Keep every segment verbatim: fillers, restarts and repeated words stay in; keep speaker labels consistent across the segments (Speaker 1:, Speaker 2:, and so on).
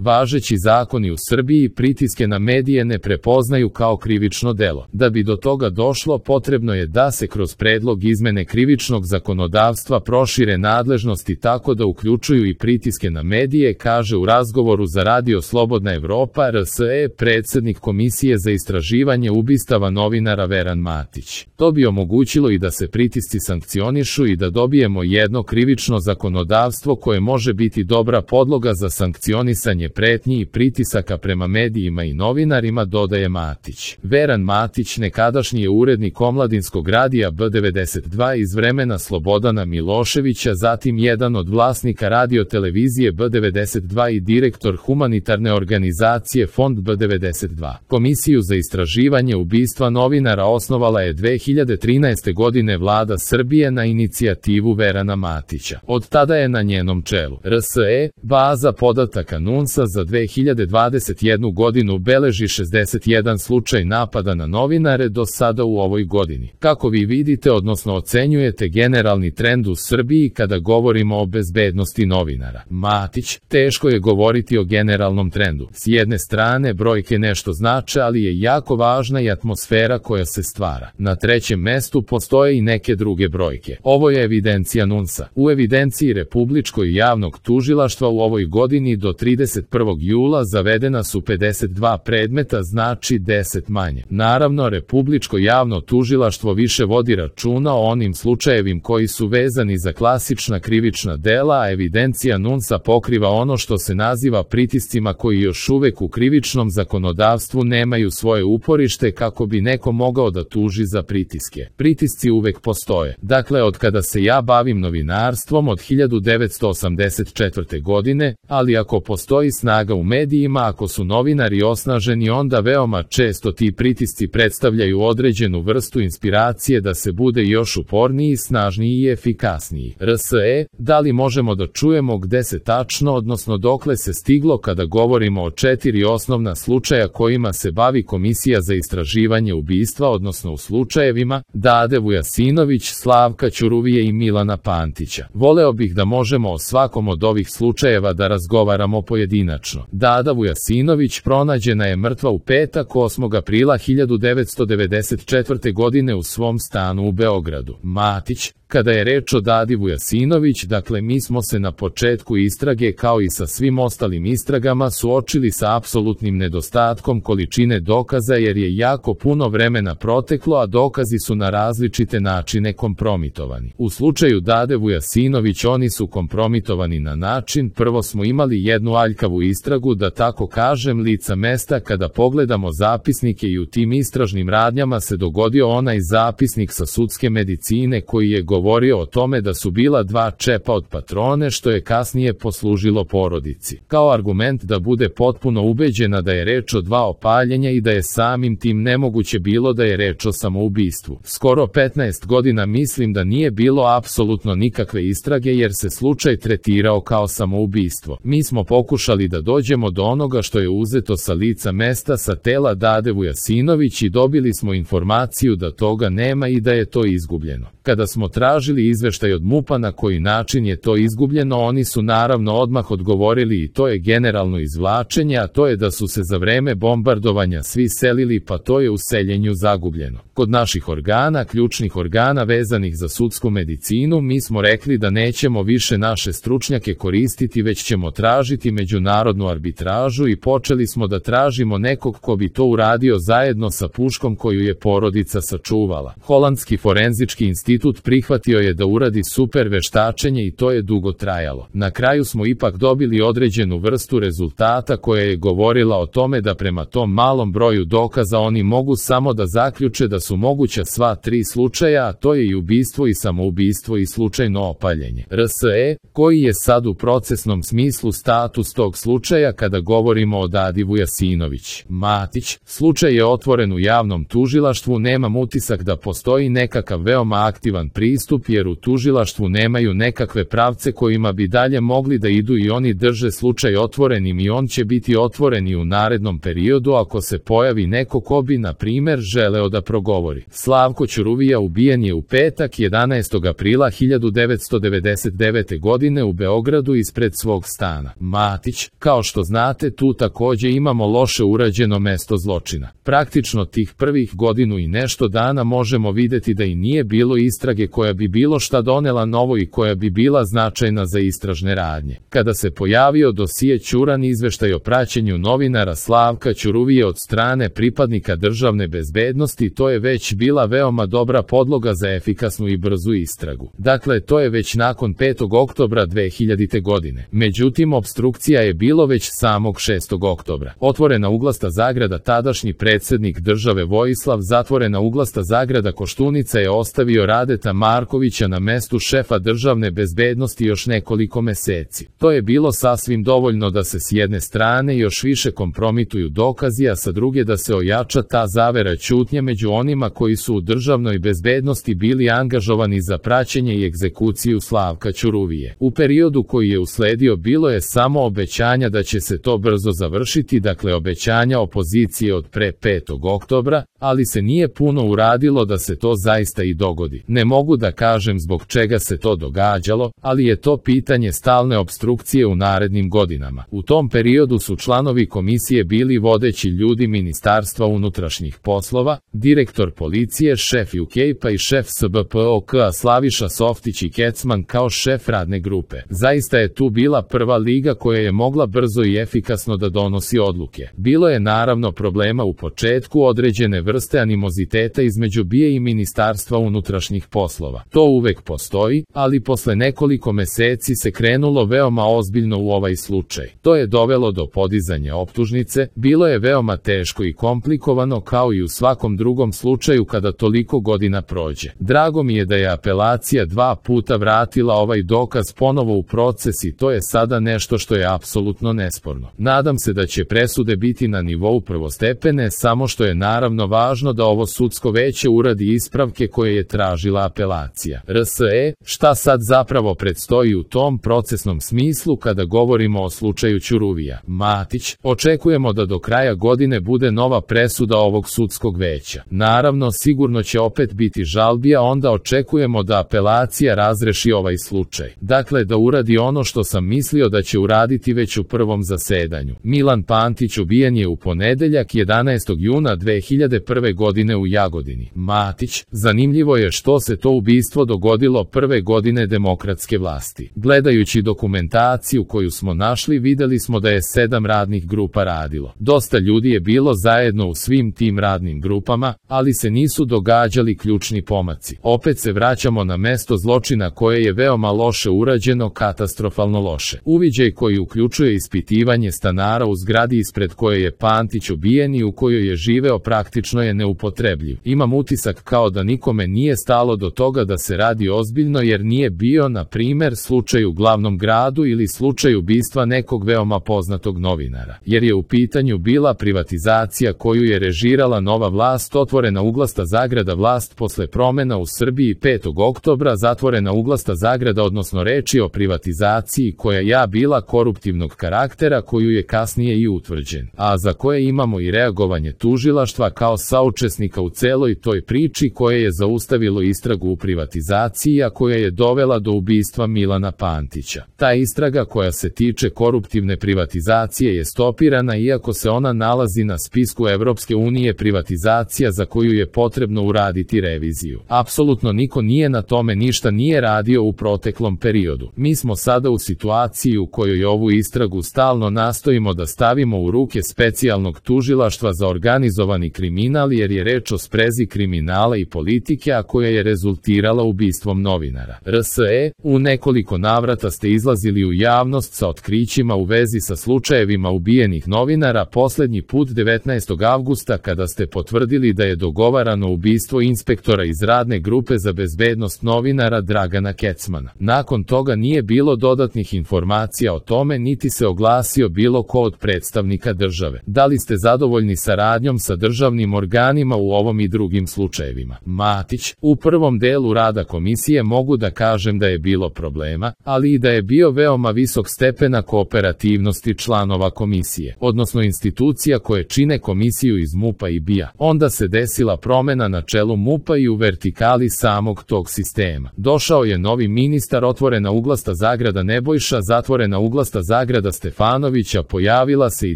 Speaker 1: Važeći zakoni u Srbiji pritiske na medije ne prepoznaju kao krivično delo. Da bi do toga došlo, potrebno je da se kroz predlog izmene krivičnog zakonodavstva prošire nadležnosti tako da uključuju i pritiske na medije, kaže u razgovoru za Radio Slobodna Evropa R S E predsednik Komisije za istraživanje ubistava novinara Veran Matić. To bi omogućilo i da se pritisci sankcionišu i da dobijemo jedno krivično zakonodavstvo koje može biti dobra podloga za sankcionisanje pretnji i pritisaka prema medijima i novinarima, dodaje Matić. Veran Matić nekadašnji je urednik omladinskog radija B devedeset dva iz vremena Slobodana Miloševića, zatim jedan od vlasnika radio-televizije B devedeset dva i direktor humanitarne organizacije Fond B devedeset dva. Komisiju za istraživanje ubistva novinara osnovala je dve hiljade trinaeste. godine vlada Srbije na inicijativu Verana Matića. Od tada je na njenom čelu. R S E, baza podataka NUNS-a za dve hiljade dvadeset jednu. godinu beleži šezdeset jedan slučaj napada na novinare do sada u ovoj godini. Kako vi vidite, odnosno ocenjujete generalni trend u Srbiji kada govorimo o bezbednosti novinara? Matić, teško je govoriti o generalnom trendu. S jedne strane brojke nešto znače, ali je jako važna i atmosfera koja se stvara. Na trećem mestu postoje i neke druge brojke. Ovo je evidencija NUNS-a. U evidenciji Republičkog javnog tužilaštva u ovoj godini do trideset prvog jula zavedena su pedeset dva predmeta, znači deset manje. Naravno, Republičko javno tužilaštvo više vodi računa o onim slučajevim koji su vezani za klasična krivična dela, a evidencija NUNS-a pokriva ono što se naziva pritiscima koji još uvek u krivičnom zakonodavstvu nemaju svoje uporište kako bi neko mogao da tuži za pritiske. Pritisci uvek postoje. Dakle, od kada se ja bavim novinarstvom od hiljadu devetsto osamdeset četvrte. godine, ali ako postoji snaga u medijima, ako su novinari osnaženi, onda veoma često ti pritisci predstavljaju određenu vrstu inspiracije da se bude još uporniji, snažniji i efikasniji. R S E, da li možemo da čujemo gde se tačno, odnosno dokle se stiglo kada govorimo o četiri osnovna slučaja kojima se bavi Komisija za istraživanje ubistva, odnosno u slučajevima Dade Vujasinović, Slavka Ćuruvije i Milana Pantića. Voleo bih da možemo o svakom od ovih slučajeva da razgovaramo pojedinačno. Dada Vujasinović pronađena je mrtva u petak osmog aprila hiljadu devetsto devedeset četvrte. godine u svom stanu u Beogradu. Matić, kada je reč o Dadi Vujasinović, dakle mi smo se na početku istrage kao i sa svim ostalim istragama suočili sa apsolutnim nedostatkom količine dokaza jer je jako puno vremena proteklo, a dokazi su na različite načine kompromitovani. U slučaju Dade Vujasinović oni su kompromitovani na način, prvo smo imali jednu aljkavu istragu, da tako kažem, lica mesta. Kada pogledamo zapisnike i u tim istražnim radnjama se dogodio onaj zapisnik sa sudske medicine koji je govorio o tome da su bila dva čepa od patrone, što je kasnije poslužilo porodici kao argument da bude potpuno ubeđena da je reč o dva opaljenja i da je samim tim nemoguće bilo da je reč o samoubistvu. Skoro petnaest godina mislim da nije bilo apsolutno nikakve istrage jer se slučaj tretirao kao samoubistvo. Mi smo pokušali da dođemo do onoga što je uzeto sa lica mesta sa tela Dade Vujasinović i dobili smo informaciju da toga nema i da je to izgubljeno. Kada smo tražili izveštaj od MUP-a na koji način je to izgubljeno, oni su naravno odmah odgovorili i to je generalno izvlačenje, a to je da su se za vreme bombardovanja svi selili, pa to je u seljenju zagubljeno. Kod naših organa, ključnih organa vezanih za sudsku medicinu, mi smo rekli da nećemo više naše stručnjake koristiti, već ćemo tražiti međunarodnu arbitražu i počeli smo da tražimo nekog ko bi to uradio zajedno sa puškom koju je porodica sačuvala. Holandski forenzički institut prihvatio je da uradi super veštačenje i to je dugo trajalo. Na kraju smo ipak dobili određenu vrstu rezultata koja je govorila o tome da prema tom malom broju dokaza oni mogu samo da zaključe da su moguća sva tri slučaja, a to je i ubistvo i samoubistvo i slučajno opaljenje. R S E, koji je sad u procesnom smislu status tog slučaja kada govorimo o Dadi Vujasinović? Matić, slučaj je otvoren u javnom tužilaštvu, nemam utisak da postoji nekakav veoma aktivan pristup pristup jer u tužilaštvu nemaju nekakve pravce kojima bi dalje mogli da idu i oni drže slučaj otvorenim i on će biti otvoren i u narednom periodu ako se pojavi neko ko bi, na primer, želeo da progovori. Slavko Ćuruvija ubijen je u petak jedanaestog aprila hiljadu devetsto devedeset devete. godine u Beogradu ispred svog stana. Matić, kao što znate, tu takođe imamo loše urađeno mesto zločina. Praktično tih prvih godinu i nešto dana možemo videti da i nije bilo istrage koja bi bilo šta donela novo i koja bi bila značajna za istražne radnje. Kada se pojavio dosije Ćuran izveštaj o praćenju novinara Slavka Ćuruvije od strane pripadnika državne bezbednosti, to je već bila veoma dobra podloga za efikasnu i brzu istragu. Dakle, to je već nakon petog oktobra dve hiljadite. godine. Međutim, opstrukcija je bilo već samog šestog oktobra. Otvorena uglasta zagrada tadašnji predsednik države Vojislav, zatvorena uglasta zagrada Koštunica je ostavio Radeta Markovića na mestu šefa državne bezbednosti još nekoliko meseci. To je bilo sasvim dovoljno da se s jedne strane još više kompromituju dokazi, a sa druge da se ojača ta zavera ćutnje među onima koji su u državnoj bezbednosti bili angažovani za praćenje i egzekuciju Slavka Ćuruvije. U periodu koji je usledio bilo je samo obećanja da će se to brzo završiti, dakle obećanja opozicije od pre petog oktobra, ali se nije puno uradilo da se to zaista i dogodi. Ne mogu da kažem zbog čega se to događalo, ali je to pitanje stalne opstrukcije u narednim godinama. U tom periodu su članovi komisije bili vodeći ljudi Ministarstva unutrašnjih poslova, direktor policije, šef U K P-a i šef S B P O K, a Slaviša Softić i Kecman kao šef radne grupe. Zaista je tu bila prva liga koja je mogla brzo i efikasno da donosi odluke. Bilo je naravno problema u početku, određene vrste animoziteta između B I A i Ministarstva unutrašnjih poslova. To uvek postoji, ali posle nekoliko meseci se krenulo veoma ozbiljno u ovaj slučaj. To je dovelo do podizanja optužnice, bilo je veoma teško i komplikovano kao i u svakom drugom slučaju kada toliko godina prođe. Drago mi je da je apelacija dva puta vratila ovaj dokaz ponovo u proces i to je sada nešto što je apsolutno nesporno. Nadam se da će presude biti na nivou prvostepene, samo što je naravno važno da ovo sudsko veće uradi ispravke koje je tražila apelacija. R S E, šta sad zapravo predstoji u tom procesnom smislu kada govorimo o slučaju Ćuruvija? Matić, očekujemo da do kraja godine bude nova presuda ovog sudskog veća. Naravno, sigurno će opet biti žalbi, a onda očekujemo da apelacija razreši ovaj slučaj. Dakle, da uradi ono što sam mislio da će uraditi već u prvom zasedanju. Milan Pantić ubijen je u ponedeljak jedanaestog juna dve hiljade prve. godine u Jagodini. Matić, zanimljivo je što se to ubistvo dogodilo prve godine demokratske vlasti. Gledajući dokumentaciju koju smo našli, videli smo da je sedam radnih grupa radilo. Dosta ljudi je bilo zajedno u svim tim radnim grupama, ali se nisu događali ključni pomaci. Opet se vraćamo na mesto zločina koje je veoma loše urađeno, katastrofalno loše. Uviđaj koji uključuje ispitivanje stanara u zgradi ispred koje je Pantić ubijen i u kojoj je živeo praktično je neupotrebljiv. Imam utisak kao da nikome nije stalo do toga da se radi ozbiljno jer nije bio, na primer, slučaj u glavnom gradu ili slučaj ubistva nekog veoma poznatog novinara. Jer je u pitanju bila privatizacija koju je režirala nova vlast, otvorena uglasta zagrada vlast posle promena u Srbiji petog oktobra, zatvorena uglasta zagrada, odnosno reči o privatizaciji koja ja bila koruptivnog karaktera koju je kasnije i utvrđen, a za koje imamo i reagovanje tužilaštva kao saučesnika u celoj toj priči koje je zaustavilo istragu u privatizaciji, a koja je dovela do ubistva Milana Pantića. Ta istraga koja se tiče koruptivne privatizacije je stopirana iako se ona nalazi na spisku Evropske unije privatizacija za koju je potrebno uraditi reviziju. Apsolutno niko nije na tome ništa nije radio u proteklom periodu. Mi smo sada u situaciji u kojoj ovu istragu stalno nastojimo da stavimo u ruke specijalnog tužilaštva za organizovani kriminal jer je reč o sprezi kriminala i politike, a koja je rezultirala ubistvom novinara. R S E, u nekoliko navrata ste izlazili u javnost sa otkrićima u vezi sa slučajevima ubijenih novinara, poslednji put devetnaestog avgusta kada ste potvrdili da je dogovarano ubistvo inspektora iz radne grupe za bezbednost novinara Dragana Kecmana. Nakon toga nije bilo dodatnih informacija o tome, niti se oglasio bilo ko od predstavnika države. Da li ste zadovoljni saradnjom sa državnim organima u ovom i drugim slučajevima? Matić, u prvom delu rada komisije mogu da kažem da je bilo problema, ali i da je bio veoma visok stepena kooperativnosti članova komisije, odnosno institucija koje čine komisiju iz MUP-a i B I A. Onda se desila promena na čelu MUP-a i u vertikali samog tog sistema. Došao je novi ministar, otvorena uglasta zagrada Nebojša, zatvorena uglasta zagrada Stefanovića, pojavila se i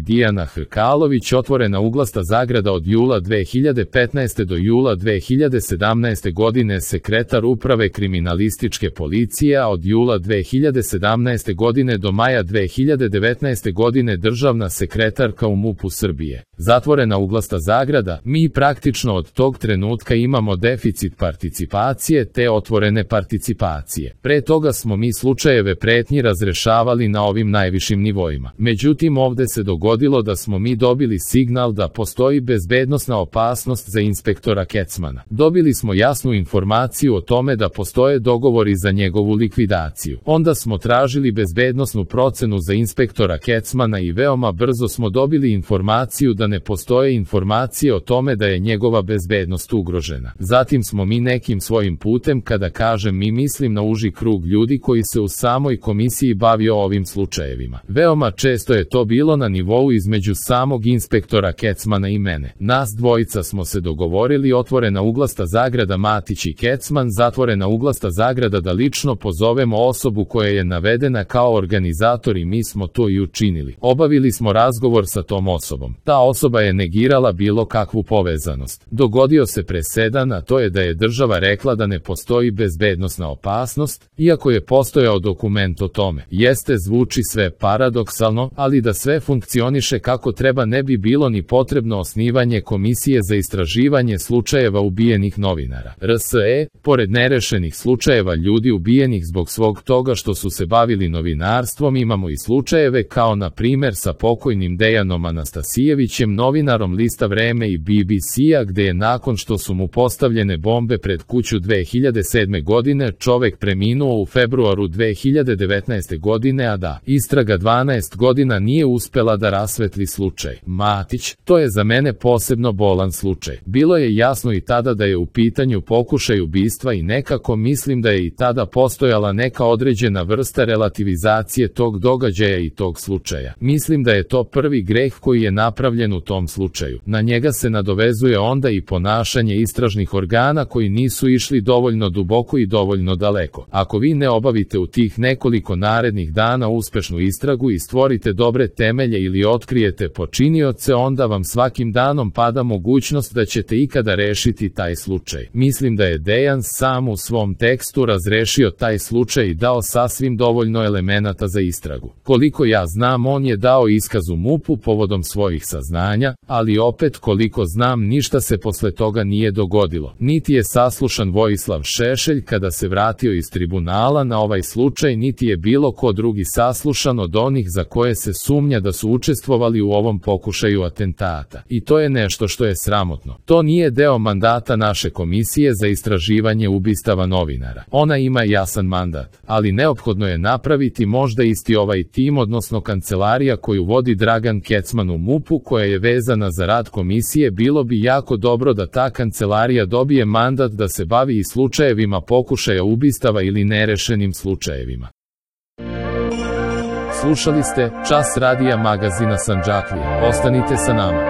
Speaker 1: Dijana Hrkalović, otvorena uglasta zagrada od jula dve hiljade petnaeste. do jula dve hiljade sedamnaeste. godine sekretar uprave kriminalističke policije, a od jula dve hiljade sedamnaeste. godine do maja dve hiljade devetnaeste. godine državna sekretarka u MUP-u Srbije. Zatvorena uglasta zagrada, mi praktično od tog trenutka imamo deficit participacije te otvorene participacije. Pre toga smo mi slučajeve pretnji razrešavali na ovim najvišim nivoima. Međutim, ovde se dogodilo da smo mi dobili signal da postoji bezbednosna opasnost za inspektora Kecmana. Dobili smo jasnu informaciju o tome da postoje dogovori za njegovu likvidaciju. Onda smo tražili bezbednosnu procenu za inspektora Kecmana i veoma brzo smo dobili informaciju da ne postoje informacije o tome da je njegova bezbednost ugrožena. Zatim smo mi nekim svojim putem, kada kažem mi mislim na uži krug ljudi koji se u samoj komisiji bavio ovim slučajevima. Veoma često je to bilo na nivou između samog inspektora Kecmana i mene. Nas dvojica smo se dogovorili, otvorena uglasta zagrada Matić i Kecman, zatvorena uglasta zagrada, da lično pozovemo osobu koja je navedena kao organizator i mi smo to i učinili. Obavili smo razgovor sa tom osobom. Ta osoba je negirala bilo kakvu povezanost. Dogodio se presedan, a to je da je država rekla da ne postoji bezbednosna opasnost, iako je postojao dokument o tome. Jeste, zvuči sve paradoksalno, ali da sve funkcioniše kako treba ne bi bilo ni potrebno osnivanje komisije za istraživanje slučajeva ubijenih novinara. R S E, pored nerešenih slučajeva ljudi ubijenih zbog svog toga što su se bavili novinarstvom, imamo i slučajeve kao na primer sa pokojnim Dejanom Anastasijevićem, novinarom lista Vreme i B B C-a, gde je nakon što su mu postavljene bombe pred kuću dve hiljade sedme. godine čovek preminuo u februaru dve hiljade devetnaeste. godine, a da istraga dvanaest godina nije uspela da rasvetli slučaj Matić. To je za mene posebno bolan slučaj. Bilo je jasno i tada da je u pitanju pokušaj ubistva i nekako mislim da je i tada postojala neka određena vrsta relativizacije tog događaja i tog slučaja. Mislim da je to prvi greh koji je napravljen u tom slučaju. Na njega se nadovezuje onda i ponašanje istražnih organa koji nisu išli dovoljno duboko i dovoljno daleko. Ako vi ne obavite u tih nekoliko narednih dana uspešnu istragu i stvorite dobre temelje ili otkrijete počinioce, onda vam svakim danom pada mogućnost da ćete ikada rešiti taj slučaj. Mislim da je Dejan sam u svom tekstu razrešio taj slučaj i dao sasvim dovoljno elemenata za istragu. Koliko ja znam, on je dao iskaz u MUP-u povodom svojih saznanja, ali opet koliko znam ništa se posle toga nije dogodilo. Niti je saslušan Vojislav Šešelj kada se vratio iz tribunala na ovaj slučaj, niti je bilo ko drugi saslušan od onih za koje se sumnja da su učestvovali u ovom pokušaju atentata. I to je nešto što je sramotno. To nije deo mandata naše komisije za istraživanje ubistava novinara. Ona ima jasan mandat, ali neophodno je napraviti možda isti ovaj tim, odnosno kancelarija koju vodi Dragan Kecman u MUP-u, koja je vezana za rad komisije. Bilo bi jako dobro da ta kancelarija dobije mandat da se bavi i slučajevima pokušaja ubistava ili nerešenim slučajevima. Slušali ste Čas radija magazina Sandžaklija. Ostanite sa nama.